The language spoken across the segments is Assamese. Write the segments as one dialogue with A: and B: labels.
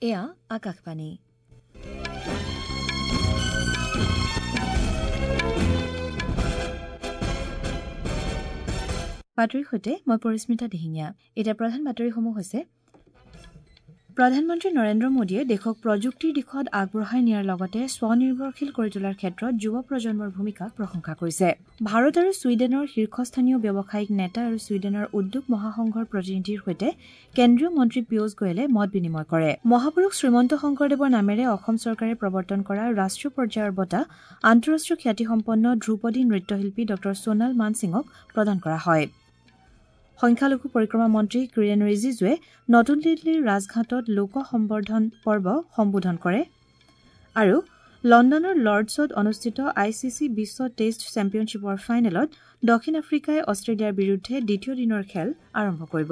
A: এয়া আকাশবাণী। বাতৰিৰ সৈতে মই পৰিস্মিতা দিহিঙীয়া। এতিয়া প্ৰধান বাতৰিসমূহ হৈছে: প্ৰধানমন্ত্ৰী নৰেন্দ্ৰ মোদীয়ে দেশক প্ৰযুক্তিৰ দিশত আগবঢ়াই নিয়াৰ লগতে স্বনিৰ্ভৰশীল কৰি তোলাৰ ক্ষেত্ৰত যুৱ প্ৰজন্মৰ ভূমিকাক প্ৰশংসা কৰিছে। ভাৰত আৰু ছুইডেনৰ শীৰ্ষস্থানীয় ব্যৱসায়িক নেতা আৰু ছুইডেনৰ উদ্যোগ মহাসংঘৰ প্ৰতিনিধিৰ সৈতে কেন্দ্ৰীয় মন্ত্ৰী পীয়ুষ গোৱেলে মত বিনিময় কৰে। মহাপুৰুষ শ্ৰীমন্ত শংকৰদেৱৰ নামেৰে অসম চৰকাৰে প্ৰৱৰ্তন কৰা ৰাষ্ট্ৰীয় পৰ্যায়ৰ বঁটা আন্তঃৰাষ্ট্ৰীয় খ্যাতিসম্পন্ন ধ্ৰুপদী নৃত্যশিল্পী ডঃ সোণাল মানসিঙক প্ৰদান কৰা হয়। সংখ্যালঘু পৰিক্ৰমা মন্ত্ৰী কিৰেণ ৰিজিজুৱে নতুন দিল্লীৰ ৰাজঘাটত লোক সম্বৰ্ধন পৰ্ব সম্বোধন কৰে। আৰু লণ্ডনৰ লৰ্ডছত অনুষ্ঠিত I C C Biswa test চেম্পিয়নশ্বিপৰ ফাইনেলত দক্ষিণ আফ্ৰিকাই অষ্ট্ৰেলিয়াৰ বিৰুদ্ধে দ্বিতীয় দিনৰ খেল আৰম্ভ কৰিব।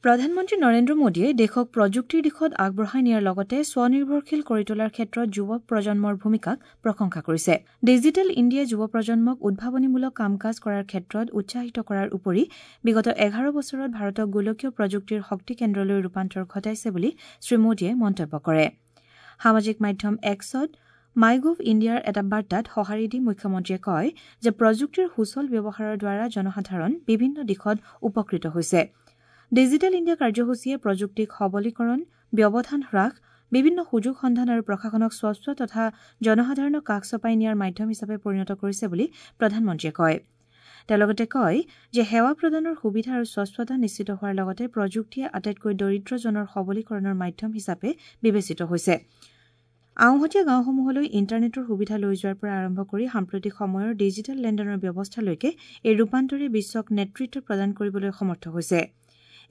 A: প্ৰধানমন্ত্ৰী নৰেন্দ্ৰ মোদীয়ে দেশক প্ৰযুক্তিৰ দিশত আগবঢ়াই নিয়াৰ লগতে স্বনিৰ্ভৰশীল কৰি তোলাৰ ক্ষেত্ৰত যুৱ প্ৰজন্মৰ ভূমিকাক প্ৰশংসা কৰিছে। ডিজিটেল ইণ্ডিয়াই যুৱ প্ৰজন্মক উদ্ভাৱনীমূলক কাম কাজ কৰাৰ ক্ষেত্ৰত উৎসাহিত কৰাৰ উপৰি বিগত ১১ বছৰত ভাৰতক গোলকীয় প্ৰযুক্তিৰ শক্তি কেন্দ্ৰলৈ ৰূপান্তৰ ঘটাইছে বুলি শ্ৰীমোদীয়ে মন্তব্য কৰে। সামাজিক মাধ্যম এক্সত মাই গভ ইণ্ডিয়াৰ এটা বাৰ্তাত সঁহাৰি দি মুখ্যমন্ত্ৰীয়ে কয় যে প্ৰযুক্তিৰ সুচল ব্যৱহাৰৰ দ্বাৰা জনসাধাৰণ বিভিন্ন দিশত উপকৃত হৈছে। ডিজিটেল ইণ্ডিয়া কাৰ্যসূচীয়ে প্ৰযুক্তিক সবলীকৰণ, ব্যৱধান হ্ৰাস, বিভিন্ন সুযোগ সন্ধান আৰু প্ৰশাসনক স্বচ্ছ তথা জনসাধাৰণক কাষ চপাই নিয়াৰ মাধ্যম হিচাপে পৰিণত কৰিছে বুলি প্ৰধানমন্ত্ৰীয়ে কয়। তেওঁ লগতে কয় যে সেৱা প্ৰদানৰ সুবিধা আৰু স্বচ্ছতা নিশ্চিত হোৱাৰ লগতে প্ৰযুক্তিয়ে আটাইতকৈ দৰিদ্ৰজনৰ সবলীকৰণৰ মাধ্যম হিচাপে বিবেচিত হৈছে। আওহতীয়া গাঁওসমূহলৈ ইণ্টাৰনেটৰ সুবিধা লৈ যোৱাৰ পৰা আৰম্ভ কৰি সাম্প্ৰতিক সময়ৰ ডিজিটেল লেনদেনৰ ব্যৱস্থালৈকে এই ৰূপান্তৰে বিশ্বক নেতৃত্ব প্ৰদান কৰিবলৈ সমৰ্থ হৈছে।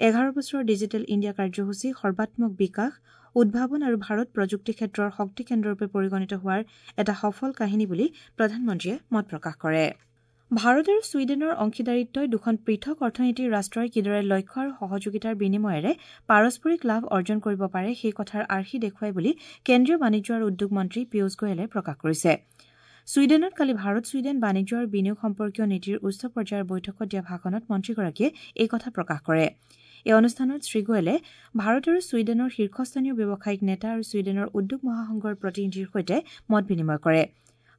A: ১১ বছৰৰ ডিজিটেল ইণ্ডিয়া কাৰ্যসূচী সৰ্বাত্মক বিকাশ, উদ্ভাৱন আৰু ভাৰত প্ৰযুক্তি ক্ষেত্ৰৰ শক্তি কেন্দ্ৰৰূপে পৰিগণিত হোৱাৰ এটা সফল কাহিনী বুলি প্ৰধানমন্ত্ৰীয়ে মত প্ৰকাশ কৰে। ভাৰত আৰু ছুইডেনৰ অংশীদাৰিত্বই দুখন পৃথক অৰ্থনীতিৰ ৰাষ্ট্ৰই কিদৰে লক্ষ্য আৰু সহযোগিতাৰ বিনিময়েৰে পাৰস্পৰিক লাভ অৰ্জন কৰিব পাৰে সেই কথাৰ আৰ্হি দেখুৱাই বুলি কেন্দ্ৰীয় বাণিজ্য আৰু উদ্যোগ মন্ত্ৰী পীয়ুষ গোৱেলে প্ৰকাশ কৰিছে। ছুইডেনত কালি ভাৰত ছুইডেন বাণিজ্য আৰু বিনিয়োগ সম্পৰ্কীয় নীতিৰ উচ্চ পৰ্যায়ৰ বৈঠকত দিয়া ভাষণত মন্ত্ৰীগৰাকীয়ে এই কথা প্ৰকাশ কৰে। এই অনুষ্ঠানত শ্ৰীগোৱেলে ভাৰত আৰু ছুইডেনৰ শীৰ্ষস্থানীয় ব্যৱসায়িক নেতা আৰু ছুইডেনৰ উদ্যোগ মহাসংঘৰ প্ৰতিনিধিৰ সৈতে মত বিনিময় কৰে।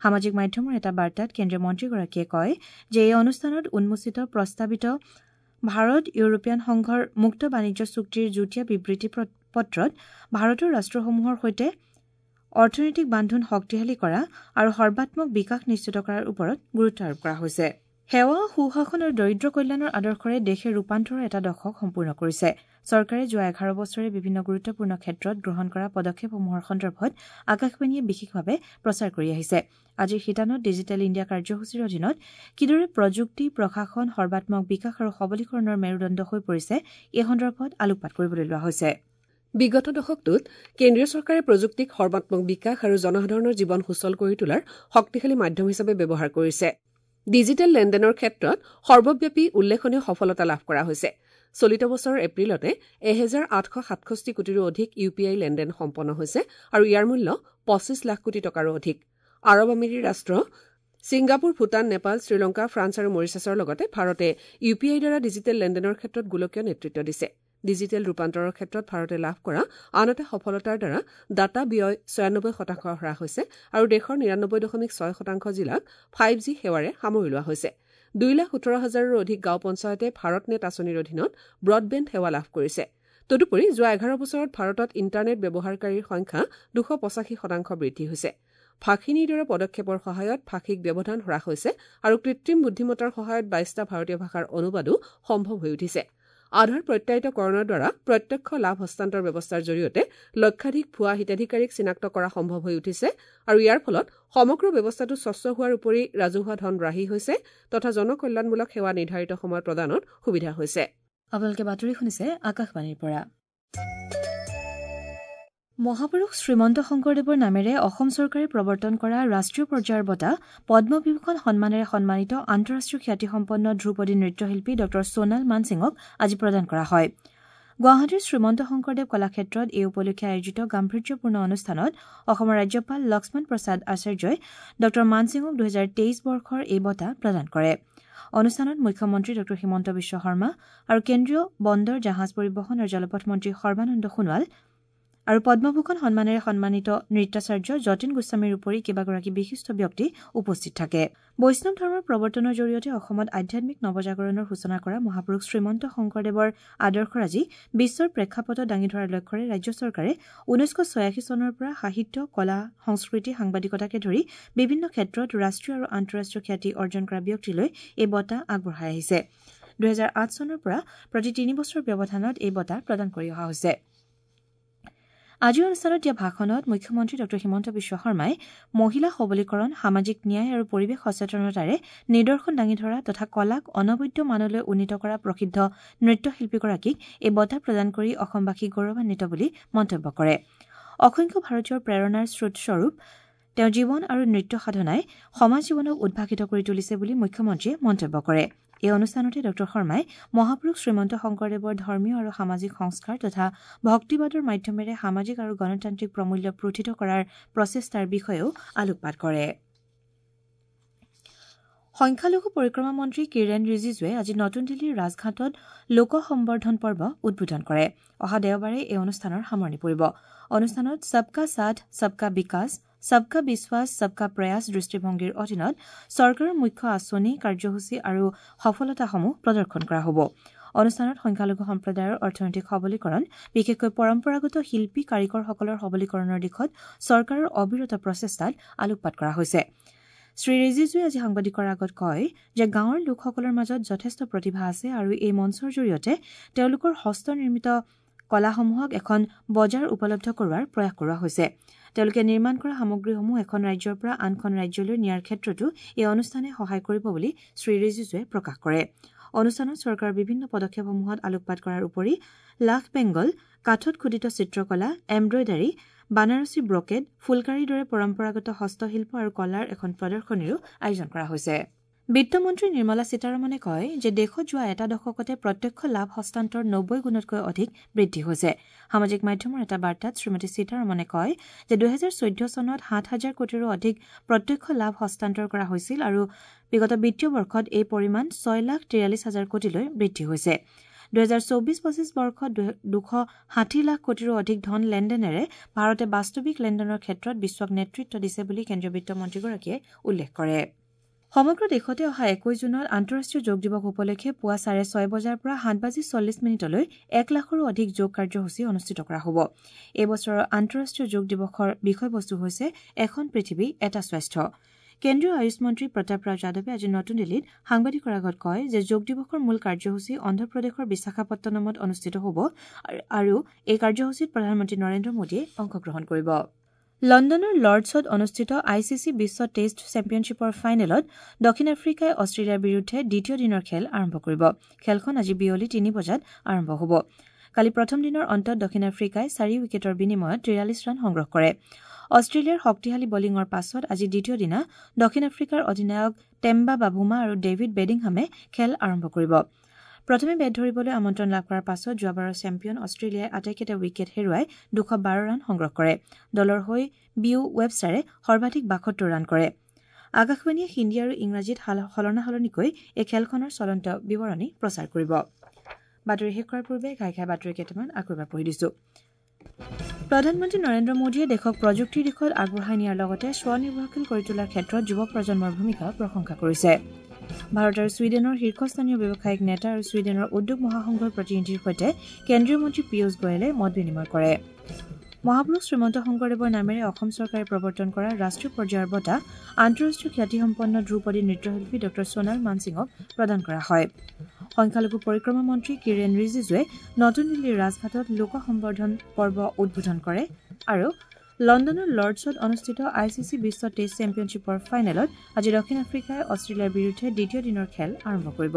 A: সামাজিক মাধ্যমৰ এটা বাৰ্তাত কেন্দ্ৰীয় মন্ত্ৰীগৰাকীয়ে কয় যে এই অনুষ্ঠানত উন্মোচিত প্ৰস্তাৱিত ভাৰত ইউৰোপীয়ান সংঘৰ মুক্ত বাণিজ্য চুক্তিৰ যুটীয়া বিবৃতি পত্ৰত ভাৰতৰ ৰাষ্ট্ৰসমূহৰ সৈতে অৰ্থনৈতিক বান্ধোন শক্তিশালী কৰা আৰু সৰ্বাত্মক বিকাশ নিশ্চিত কৰাৰ ওপৰত গুৰুত্ব আৰোপ কৰা হৈছে। সেৱা, সুশাসন আৰু দৰিদ্ৰ কল্যাণৰ আদৰ্শৰে দেশে ৰূপান্তৰৰ এটা দশক সম্পূৰ্ণ কৰিছে। চৰকাৰে যোৱা ১১ বছৰে বিভিন্ন গুৰুত্বপূৰ্ণ ক্ষেত্ৰত গ্ৰহণ কৰা পদক্ষেপসমূহৰ সন্দৰ্ভত আকাশবাণীয়ে বিশেষভাৱে প্ৰচাৰ কৰি আহিছে। আজিৰ শিতানত ডিজিটেল ইণ্ডিয়া কাৰ্যসূচীৰ অধীনত কিদৰে প্ৰযুক্তি, প্ৰশাসন, সৰ্বাত্মক বিকাশ আৰু সবলীকৰণৰ মেৰুদণ্ড হৈ পৰিছে এই সন্দৰ্ভত আলোকপাত কৰিবলৈ লোৱা হৈছে।
B: বিগত দশকটোত কেন্দ্ৰীয় চৰকাৰে প্ৰযুক্তিক সৰ্বাত্মক বিকাশ আৰু জনসাধাৰণৰ জীৱন সুচল কৰি তোলাৰ শক্তিশালী মাধ্যম হিচাপে ব্যৱহাৰ কৰিছে। ডিজিটেল লেনদেনৰ ক্ষেত্ৰত সৰ্বব্যাপী উল্লেখনীয় সফলতা লাভ কৰা হৈছে। চলিত বছৰৰ এপ্ৰিলতে ১৮৬৭ কোটিৰো অধিক ইউ পি আই লেনদেন সম্পন্ন হৈছে আৰু ইয়াৰ মূল্য ২৫ লাখ কোটি টকাৰো অধিক। আৰৱ আমিৰী ৰাষ্ট্ৰ, ছিংগাপুৰ, ভূটান, নেপাল, শ্ৰীলংকা, ফ্ৰান্স আৰু মৰিচাছৰ লগতে ভাৰতে ইউ পি আইৰ দ্বাৰা ডিজিটেল লেনদেনৰ ক্ষেত্ৰত গোলকীয় নেতৃত্ব দিছে। ডিজিটেল ৰূপান্তৰৰ ক্ষেত্ৰত ভাৰতে লাভ কৰা আন এটা সফলতাৰ দ্বাৰা ডাটা ব্যয় ৯৬% হ্ৰাস হৈছে আৰু দেশৰ ৯৯.৬% জিলাক ৫জি সেৱাৰে সামৰি লোৱা হৈছে। ২,১৮,০০০ৰো অধিক গাঁও পঞ্চায়তে ভাৰতনেট আঁচনিৰ অধীনত ব্ৰডবেণ্ড সেৱা লাভ কৰিছে। তদুপৰি যোৱা ১১ বছৰত ভাৰতত ইণ্টাৰনেট ব্যৱহাৰকাৰীৰ সংখ্যা ২৮৫% বৃদ্ধি হৈছে। ভাষিণীৰ দৰে পদক্ষেপৰ সহায়ত ভাষিক ব্যৱধান হ্ৰাস হৈছে আৰু কৃত্ৰিম বুদ্ধিমত্তাৰ সহায়ত ২২টা ভাৰতীয় ভাষাৰ অনুবাদো সম্ভৱ হৈ উঠিছে। আধাৰ প্ৰত্যায়িতকৰণৰ দ্বাৰা প্ৰত্যক্ষ লাভ হস্তান্তৰ ব্যৱস্থাৰ জৰিয়তে লক্ষাধিক ভুৱা হিতাধিকাৰীক চিনাক্ত কৰা সম্ভৱ হৈ উঠিছে আৰু ইয়াৰ ফলত সমগ্ৰ ব্যৱস্থাটো স্বচ্ছ হোৱাৰ উপৰি ৰাজহুৱা ধন ৰাহি হৈছে তথা জনকল্যাণমূলক সেৱা নিৰ্ধাৰিত সময়ত প্ৰদানত সুবিধা হৈছে।
A: আপোনালোকে বাতৰি শুনিছে আকাশবাণীৰ পৰা। মহাপুৰুষ শ্ৰীমন্ত শংকৰদেৱৰ নামেৰে অসম চৰকাৰে প্ৰৱৰ্তন কৰা ৰাষ্ট্ৰীয় পৰ্যায়ৰ বঁটা পদ্মবিভূষণ সন্মানেৰে সন্মানিত আন্তঃৰাষ্ট্ৰীয় খ্যাতিসম্পন্ন ধ্ৰুপদী নৃত্যশিল্পী ডঃ সোণাল মানসিঙক আজি প্ৰদান কৰা হয়। গুৱাহাটীৰ শ্ৰীমন্ত শংকৰদেৱ কলাক্ষেত্ৰত এই উপলক্ষে আয়োজিত গাম্ভীৰ্যপূৰ্ণ অনুষ্ঠানত অসমৰ ৰাজ্যপাল লক্ষ্মণ প্ৰসাদ আচাৰ্যই ডঃ মানসিঙক ২০২৩ বৰ্ষৰ এই বঁটা প্ৰদান কৰে। অনুষ্ঠানত মুখ্যমন্ত্ৰী ড হিমন্ত বিশ্ব শৰ্মা আৰু কেন্দ্ৰীয় বন্দৰ, জাহাজ পৰিবহণ আৰু জলপথ মন্ত্ৰী সৰ্বানন্দ সোণোৱাল আৰু পদ্মভূষণ সন্মানেৰে সন্মানিত নৃত্যাচাৰ্য যতীন গোস্বামীৰ উপৰি কেইবাগৰাকী বিশিষ্ট ব্যক্তি উপস্থিত থাকে। বৈষ্ণৱ ধৰ্মৰ প্ৰৱৰ্তনৰ জৰিয়তে অসমত আধ্যাত্মিক নৱজাগৰণৰ সূচনা কৰা মহাপুৰুষ শ্ৰীমন্ত শংকৰদেৱৰ আদৰ্শৰাজি বিশ্বৰ প্ৰেক্ষাপটত দাঙি ধৰাৰ লক্ষ্যৰে ৰাজ্য চৰকাৰে ১৯৮৬ চনৰ পৰা সাহিত্য, কলা, সংস্কৃতি, সাংবাদিকতাকে ধৰি বিভিন্ন ক্ষেত্ৰত ৰাষ্ট্ৰীয় আৰু আন্তঃৰাষ্ট্ৰীয় খ্যাতি অৰ্জন কৰা ব্যক্তিলৈ এই বঁটা আগবঢ়াই আহিছে। ২০০৮ চনৰ পৰা প্ৰতি ৩ বছৰৰ ব্যৱধানত এই বঁটা প্ৰদান কৰি অহা হৈছে। আজিৰ অনুষ্ঠানত দিয়া ভাষণত মুখ্যমন্ত্ৰী ড হিমন্ত বিশ্ব শৰ্মাই মহিলা সবলীকৰণ, সামাজিক ন্যায় আৰু পৰিৱেশ সচেতনতাৰে নিদৰ্শন দাঙি ধৰা তথা কলাক অনবদ্য মানলৈ উন্নীত কৰা প্ৰসিদ্ধ নৃত্যশিল্পীগৰাকীক এই বঁটা প্ৰদান কৰি অসমবাসী গৌৰৱান্বিত বুলি মন্তব্য কৰে। অসংখ্য ভাৰতীয়ৰ প্ৰেৰণাৰ স্ৰোতস্বৰূপ তেওঁৰ জীৱন আৰু নৃত্য সাধনাই সমাজ জীৱনক উদ্ভাসিত কৰি তুলিছে বুলি মুখ্যমন্ত্ৰীয়ে মন্তব্য কৰে। এই অনুষ্ঠানতে ড শৰ্মাই মহাপুৰুষ শ্ৰীমন্ত শংকৰদেৱৰ ধৰ্মীয় আৰু সামাজিক সংস্কাৰ তথা ভক্তিবাদৰ মাধ্যমেৰে সামাজিক আৰু গণতান্ত্ৰিক প্ৰমূল্য প্ৰোথিত কৰাৰ প্ৰচেষ্টাৰ বিষয়েও আলোকপাত কৰে। সংখ্যালঘু পৰিক্ৰমা মন্ত্ৰী কিৰেণ ৰিজিজুৱে আজি নতুন দিল্লীৰ ৰাজঘাটত লোক সম্বৰ্ধন পৰ্ব উদ্বোধন কৰে। অহা দেওবাৰে এই অনুষ্ঠানৰ সামৰণি পৰিব। অনুষ্ঠানত সবকা সাথ, সবকা বিকাশ, সবকা বিশ্বাস, সবকা প্ৰয়াস দৃষ্টিভংগীৰ অধীনত চৰকাৰৰ মুখ্য আঁচনি, কাৰ্যসূচী আৰু সফলতাসমূহ প্ৰদৰ্শন কৰা হ'ব। অনুষ্ঠানত সংখ্যালঘু সম্প্ৰদায়ৰ অৰ্থনৈতিক সবলীকৰণ, বিশেষকৈ পৰম্পৰাগত শিল্পী কাৰিকৰসকলৰ সবলীকৰণৰ দিশত চৰকাৰৰ অবিৰত প্ৰচেষ্টাত আলোকপাত কৰা হৈছে। শ্ৰী ৰিজিজুৱে আজি সাংবাদিকৰ আগত কয় যে গাঁৱৰ লোকসকলৰ মাজত যথেষ্ট প্ৰতিভা আছে আৰু এই মঞ্চৰ জৰিয়তে তেওঁলোকৰ হস্তনিৰ্মিত কলাসমূহক এখন বজাৰ উপলব্ধ কৰোৱাৰ প্ৰয়াস কৰা হৈছে। তেওঁলোকে নিৰ্মাণ কৰা সামগ্ৰীসমূহ এখন ৰাজ্যৰ পৰা আনখন ৰাজ্যলৈ নিয়াৰ ক্ষেত্ৰতো এই অনুষ্ঠানে সহায় কৰিব বুলি শ্ৰী ৰিজিজুৱে প্ৰকাশ কৰে। অনুষ্ঠানত চৰকাৰৰ বিভিন্ন পদক্ষেপসমূহত আলোকপাত কৰাৰ উপৰি লাখ বেংগল, কাঠত খোদিত চিত্ৰকলা, এম্ব্ৰইডাৰী, বানাৰসী ব্ৰকেট, ফুলকাৰীৰ দৰে পৰম্পৰাগত হস্তশিল্প আৰু কলাৰ এখন প্ৰদৰ্শনীৰো আয়োজন কৰা হৈছে। বিত্তমন্ত্ৰী নিৰ্মলা সীতাৰমণে কয় যে দেশত যোৱা এটা দশকতে প্ৰত্যক্ষ লাভ হস্তান্তৰ ৯০ গুণতকৈ অধিক বৃদ্ধি হৈছে। সামাজিক মাধ্যমৰ এটা বাৰ্তাত শ্ৰীমতী সীতাৰমণে কয় যে ২০১৪ চনত ৭ হাজাৰ কোটিৰো অধিক প্ৰত্যক্ষ লাভ হস্তান্তৰ কৰা হৈছিল আৰু বিগত বিত্তীয় বৰ্ষত এই পৰিমাণ ৬ লাখ ৪৩ হাজাৰ কোটিলৈ বৃদ্ধি হৈছে। ২০২৪-২৫ বৰ্ষত ২৬০ লাখ কোটিৰো অধিক ধন লেনদেনেৰে ভাৰতে বাস্তৱিক লেনদেনৰ ক্ষেত্ৰত বিশ্বক নেতৃত্ব দিছে বুলি কেন্দ্ৰীয় বিত্তমন্ত্ৰীগৰাকীয়ে উল্লেখ কৰে। সমগ্ৰ দেশতে অহা ২১ জুনত আন্তঃৰাষ্ট্ৰীয় যোগ দিৱস উপলক্ষে পুৱা ৬:৩০ বজাৰ পৰা ৭:৪০ লৈ ১ লাখৰো অধিক যোগ কাৰ্যসূচী অনুষ্ঠিত কৰা হ'ব। এই বছৰৰ আন্তঃৰাষ্ট্ৰীয় যোগ দিৱসৰ বিষয়বস্তু হৈছে এখন পৃথিৱী, এটা স্বাস্থ্য। কেন্দ্ৰীয় আয়ুষ মন্ত্ৰী প্ৰতাপ ৰাও যাদৱে আজি নতুন দিল্লীত সাংবাদিকৰ আগত কয় যে যোগ দিৱসৰ মূল কাৰ্যসূচী অন্ধ্ৰপ্ৰদেশৰ বিশাখাপট্টনমত অনুষ্ঠিত হ'ব আৰু এই কাৰ্যসূচীত প্ৰধানমন্ত্ৰী নৰেন্দ্ৰ মোদীয়ে অংশগ্ৰহণ কৰিব। লণ্ডনৰ লৰ্ডছত অনুষ্ঠিত I C C Biswa test চেম্পিয়নশ্বিপৰ ফাইনেলত দক্ষিণ আফ্ৰিকাই অষ্ট্ৰেলিয়াৰ বিৰুদ্ধে দ্বিতীয় দিনৰ খেল আৰম্ভ কৰিব। খেলখন আজি বিয়লি ৩ বজাত আৰম্ভ হ'ব। কালি প্ৰথম দিনৰ অন্তত দক্ষিণ আফ্ৰিকাই ৪ উইকেটৰ বিনিময়ত ৪৩ ৰান সংগ্ৰহ কৰে। অষ্ট্ৰেলিয়াৰ শক্তিশালী বলিঙৰ পাছত আজি দ্বিতীয় দিনা দক্ষিণ আফ্ৰিকাৰ অধিনায়ক টেম্বা বাভুমা আৰু ডেভিড বেডিংহামে খেল আৰম্ভ কৰিব। প্ৰথমে বেট ধৰিবলৈ আমন্ত্ৰণ লাভ কৰাৰ পাছত যোৱাবাৰৰ চেম্পিয়ন অষ্ট্ৰেলিয়াই আটাইকেইটা উইকেট হেৰুৱাই ২১২ ৰান সংগ্ৰহ কৰে। দলৰ হৈ বিউ ৱেবষ্টাৰে সৰ্বাধিক ৭২ ৰান কৰে। আকাশবাণীয়ে হিন্দী আৰু ইংৰাজীত সলনা সলনিকৈ এই খেলখনৰ চলন্ত বিৱৰণী প্ৰচাৰ কৰিব। বাতৰি শেষ কৰাৰ পূৰ্বে ঘাই ঘাই বাতৰি কেইটামান আকৌ এবাৰ পঢ়ি দিছো। প্ৰধানমন্ত্ৰী নৰেন্দ্ৰ মোদীয়ে দেশক প্ৰযুক্তিৰ দিশত আগবঢ়াই নিয়াৰ লগতে স্বনিৰ্ভৰশীল কৰি তোলাৰ ক্ষেত্ৰত যুৱ প্ৰজন্মৰ ভূমিকাক প্ৰশংসা কৰিছে। ভাৰত আৰু ছুইডেনৰ শীৰ্ষস্থানীয় ব্যৱসায়িক নেতা আৰু ছুইডেনৰ উদ্যোগ মহাসংঘৰ প্ৰতিনিধিৰ সৈতে কেন্দ্ৰীয় মন্ত্ৰী পীয়ুষ গোৱেলে মত বিনিময় কৰে। মহাপুৰুষ শ্ৰীমন্ত শংকৰদেৱৰ নামেৰে অসম চৰকাৰে প্ৰৱৰ্তন কৰা ৰাষ্ট্ৰীয় পৰ্যায়ৰ বঁটা আন্তঃৰাষ্ট্ৰীয় খ্যাতিসম্পন্ন ধ্ৰুপদী নৃত্যশিল্পী ড সোণাল মানসিঙক প্ৰদান কৰা হয়। সংখ্যালঘু পৰিক্ৰমা মন্ত্ৰী কিৰেণ ৰিজিজুৱে নতুন দিল্লীৰ ৰাজঘাটত লোক সম্বৰ্ধন পৰ্ব উদ্বোধন কৰে আৰু লণ্ডনৰ লৰ্ডছত অনুষ্ঠিত I C C Biswa test চেম্পিয়নশ্বিপৰ ফাইনেলত আজি দক্ষিণ আফ্ৰিকাই অষ্ট্ৰেলিয়াৰ বিৰুদ্ধে দ্বিতীয় দিনৰ খেল আৰম্ভ কৰিব।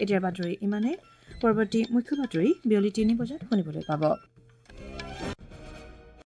A: এতিয়াৰ বাতৰি ইমানেই। পৰৱৰ্তী মুখ্য বাতৰি বিয়লি ৩ বজাত শুনিবলৈ পাব।